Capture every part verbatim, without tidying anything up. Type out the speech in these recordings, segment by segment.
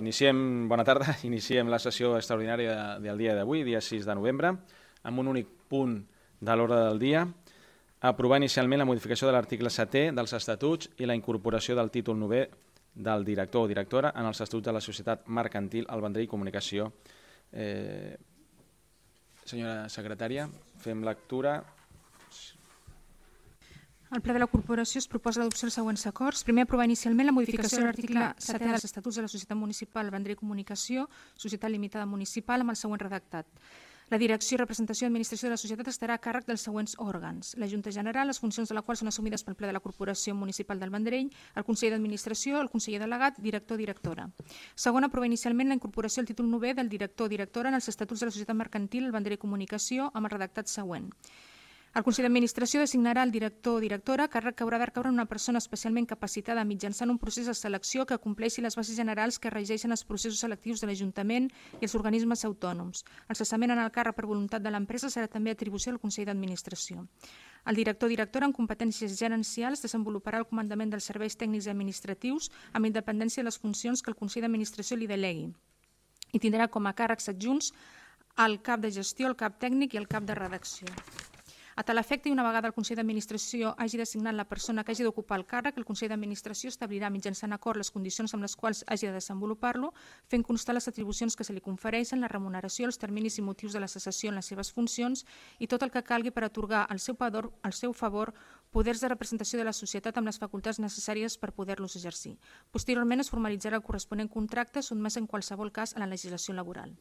Iniciem, bona tarda, iniciem la sessió extraordinària del dia d'avui, dia sis de novembre, amb un únic punt de l'ordre del dia, aprovar inicialment la modificació de l'article setè dels estatuts i la incorporació del títol novè del director o directora en els estatuts de la Societat Mercantil El Vendrell Comunicació. Eh, senyora secretària, fem lectura. Al ple de la corporació es proposa l'adopció dels següents acords. Primer, aprovar inicialment la modificació de l'article setè dels estatuts de la Societat Municipal El Vendrell Comunicació, Societat Limitada Municipal, amb el següent redactat. La direcció, representació i administració de la societat estarà a càrrec dels següents òrgans. La Junta General, les funcions de la qual són assumides pel ple de la Corporació Municipal del Vendrell, el conseller d'Administració, el conseller delegat, director o directora. Segon, aprovar inicialment la incorporació del títol novè del director o directora en els estatuts de la Societat Mercantil El Vendrell Comunicació amb el redactat següent. El Consell d'Administració designarà el director o directora, càrrec que haurà de recaure en una persona especialment capacitada mitjançant un procés de selecció que compleixi les bases generals que regeixen els processos selectius de l'Ajuntament i els organismes autònoms. El cessament en el càrrec per voluntat de l'empresa serà també atribució del Consell d'Administració. El director o directora en competències gerencials desenvoluparà el comandament dels serveis tècnics i administratius amb independència de les funcions que el Consell d'Administració li delegui i tindrà com a càrrecs adjunts el cap de gestió, el cap tècnic i el cap de redacció. A tal efecte, i una vegada el Consell d'Administració hagi designat la persona que hagi d'ocupar el càrrec, el Consell d'Administració establirà mitjançant acord les condicions amb les quals hagi de desenvolupar-lo, fent constar les atribucions que se li confereixen, la remuneració, els terminis i motius de la cessació en les seves funcions i tot el que calgui per atorgar al seu favor, al seu favor poders de representació de la societat amb les facultats necessàries per poder-los exercir. Posteriorment es formalitzarà el corresponent contracte sotmès en qualsevol cas a la legislació laboral.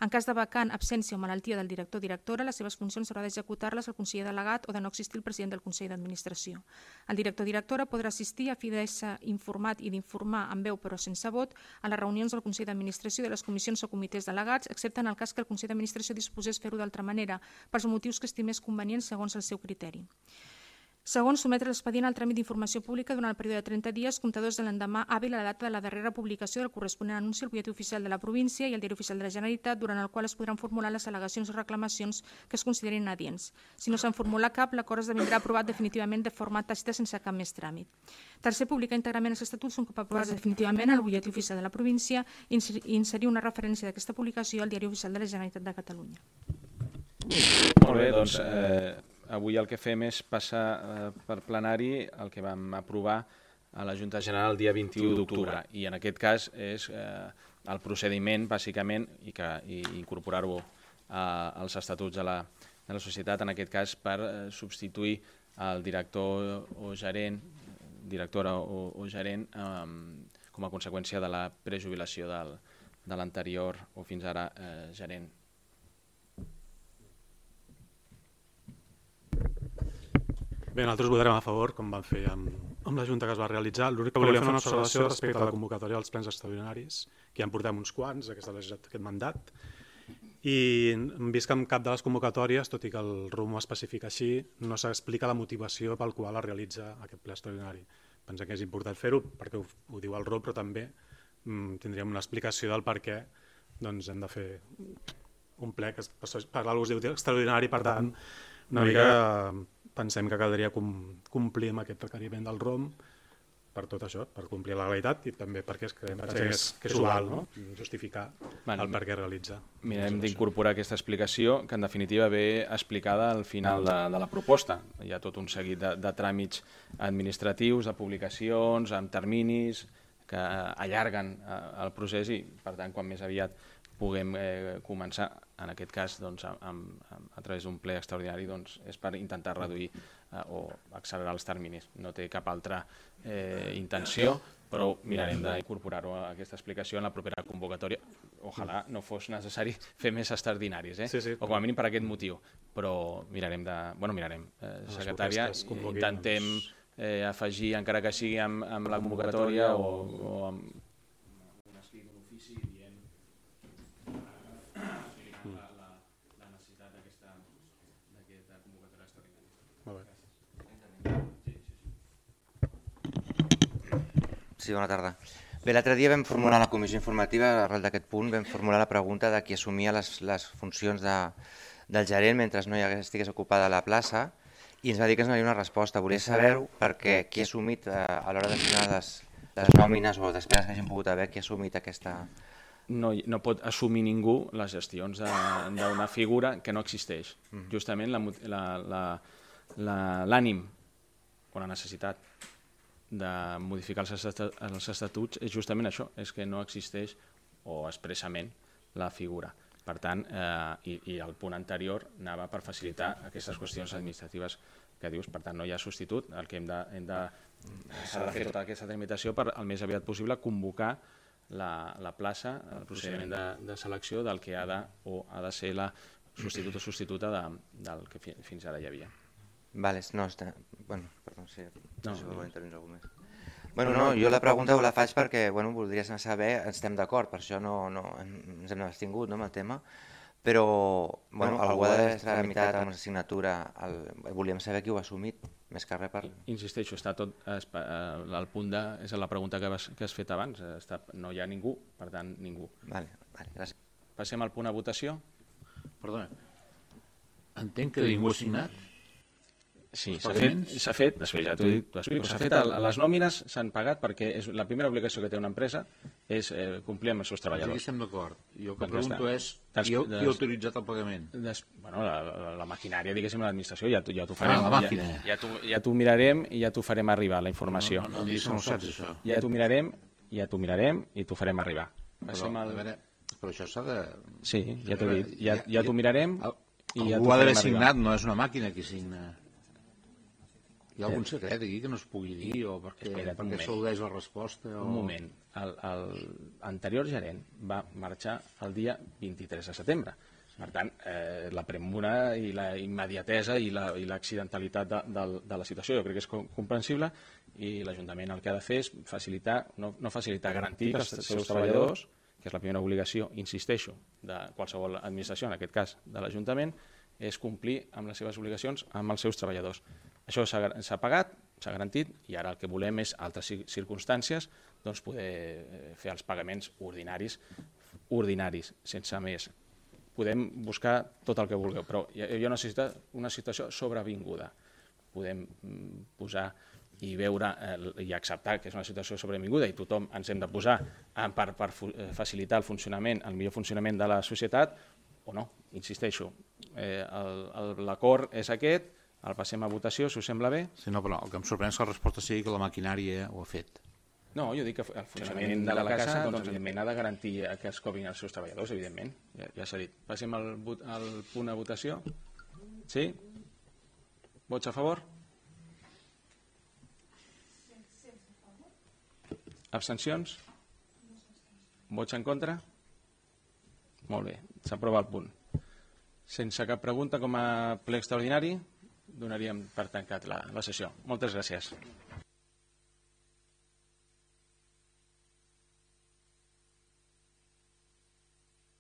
En cas de vacant, absència o malaltia del director o directora, les seves funcions haurà d'executar-les el conseller delegat o de no existir el president del Consell d'Administració. El director o directora podrà assistir a fi d'ésser informat i d'informar amb veu però sense vot a les reunions del Consell d'Administració i de les comissions o comitès delegats, excepte en el cas que el Consell d'Administració disposés fer-ho d'altra manera, pels motius que estimés convenients segons el seu criteri. Segon, sometre l'expedient al tràmit d'informació pública durant el període de trenta dies comptadors de l'endemà hàbil a la data de la darrera publicació del corresponent anunci al butlletí oficial de la província i al diari oficial de la Generalitat, durant el qual es podran formular les al·legacions o reclamacions que es considerin adients. Si no se'n formula cap, l'acord esdevindrà aprovat definitivament de forma tàcita sense cap més tràmit. Tercer, publicar íntegrament els estatuts un cop aprovats definitivament al butlletí oficial de la província i inserir una referència d'aquesta publicació al diari oficial de la Generalitat de Catalunya. Molt bé, doncs... Eh... Avui el que fem és passar eh, per plenari el que vam aprovar a la Junta General el dia vint-i-u d'octubre i en aquest cas és eh, el procediment bàsicament i, que, i incorporar-ho eh, als estatuts de la, de la societat, en aquest cas per eh, substituir el director o gerent, directora o, o gerent eh, com a conseqüència de la prejubilació del, de l'anterior o fins ara eh, gerent. Bé, nosaltres votarem a favor, com vam fer amb, amb la Junta que es va realitzar. L'únic que volíem fer una observació respecte a la convocatòria dels plens extraordinaris, que ja en portem uns quants d'aquest mandat, i hem vist que en cap de les convocatòries, tot i que el R U M ho especifica així, no s'explica la motivació pel qual es realitza aquest ple extraordinari. Pensem que és important fer-ho perquè ho, ho diu el R U M, però també mm, tindríem una explicació del per què doncs, hem de fer un ple que per l'algú es diu extraordinari, per tant, una mica... Pensem que caldria complir amb aquest requeriment del R O M per tot això, per complir la legalitat i també perquè creiem que és, que és usual, no? Justificar bueno, el per què realitza. Mirem d'incorporar aquesta explicació que en definitiva ve explicada al final de, de la proposta. Hi ha tot un seguit de, de tràmits administratius, de publicacions, amb terminis que allarguen el procés i per tant quan més aviat puguem eh, començar, en aquest cas doncs, amb, amb, a través d'un ple extraordinari, doncs, és per intentar reduir eh, o accelerar els terminis. No té cap altra eh, intenció, però mirarem d'incorporar-ho a aquesta explicació en la propera convocatòria. Ojalà no fos necessari fer més extraordinaris, eh? sí, sí, o com a mínim per aquest motiu, però mirarem de... Bueno, mirarem, eh, secretària, intentem eh, afegir, encara que sigui amb, amb la convocatòria o, o amb Sí, bona tarda. Bé, l'altre dia vam formular a la comissió informativa, arrel d'aquest punt, vam formular la pregunta de qui assumia les, les funcions de, del gerent mentre no hi hagués, estigués ocupada la plaça i ens va dir que ens donaria una resposta. Volia saber perquè qui ha assumit eh, a l'hora de signar les, les nòmines o despeses que hagin pogut haver que ha assumit aquesta... No, no pot assumir ningú les gestions d'una figura que no existeix. Mm. Justament l'ànim o la necessitat de modificar els estatuts és justament això, és que no existeix o expressament la figura. Per tant, eh, i, i el punt anterior anava per facilitar aquestes qüestions administratives que dius, per tant no hi ha substitut, el que hem de, hem de, s'ha de fer tota aquesta tramitació per al més aviat possible convocar la, la plaça, el procediment de, de selecció del que ha de, o ha de ser la substitut o substituta de, del que fi, fins ara hi havia. Vale, no, està... Bueno, perdó, sí, no, si vol intervenir algú més. Bueno, no, jo la pregunta la faig perquè, bueno, voldria saber, estem d'acord, per això no, no, ens hem abstingut, no, amb el tema, però, bueno, algú ha d'haver tramitat amb la signatura, el, volíem saber qui ho ha assumit, més que res per... Insisteixo, està tot, el punt de, és la pregunta que has, que has fet abans, està, no hi ha ningú, per tant, ningú. Vale, vale, gràcies. Passem al punt a votació. Perdona, entenc que ningú ha signat? Sí, s'ha fet, s'ha fet, després ja t'ho explico, s'ha fet, les nòmines s'han pagat perquè és la primera obligació que té una empresa és eh, complir amb els seus treballadors. Aquí estem d'acord. Jo el que pregunto és qui ha autoritzat el pagament? Des, bueno, la, la, la maquinària, diguéssim, l'administració, ja, ja t'ho farem. Ah, la màquina. Ja, ja, ja t'ho mirarem i ja t'ho farem arribar, la informació. No, no, no, no, no saps això. Ja t'ho mirarem, ja t'ho mirarem i t'ho farem arribar. Però, al... a veure, però això s'ha de... Sí, ja t'ho he dit. Ja, ja t'ho mirarem i ja t'ho farem arribar. Algú ha d'haver signat, no és una màquina qui signa. Hi ha algun secret aquí que no es pugui dir o perquè, perquè s'al·ludeix la resposta? O... Un moment. L'anterior gerent va marxar el dia vint-i-tres de setembre. Per tant, eh, la premura i la immediatesa i l'accidentalitat la, de, de, de la situació jo crec que és comprensible i l'Ajuntament el que ha de fer és facilitar, no, no facilitar, garantir que els seus treballadors, que és la primera obligació, insisteixo, de qualsevol administració, en aquest cas de l'Ajuntament, és complir amb les seves obligacions amb els seus treballadors. Això s'ha pagat, s'ha garantit, i ara el que volem és, altres circumstàncies, doncs poder fer els pagaments ordinaris, ordinaris, sense més. Podem buscar tot el que vulgueu, però hi ha una, una situació sobrevinguda. Podem posar i veure i acceptar que és una situació sobrevinguda i tothom ens hem de posar per, per facilitar el funcionament, el millor funcionament de la societat, o no, insisteixo. Eh, L'acord és aquest, el passem a votació, si us sembla bé. Sí, no, però el que em sorprèn és que la resposta sigui que la maquinària ho ha fet. No, jo dic que el funcionament de la casa, doncs, evidentment, ha de garantir que es cobrin els seus treballadors, evidentment. Ja, ja s'ha dit. Passem al, al punt a votació. Sí? Vots a favor? Abstencions? Vots en contra? Molt bé, s'aprova el punt. Sense cap pregunta, com a ple extraordinari, donaríem per tancat la, la sessió. Moltes gràcies.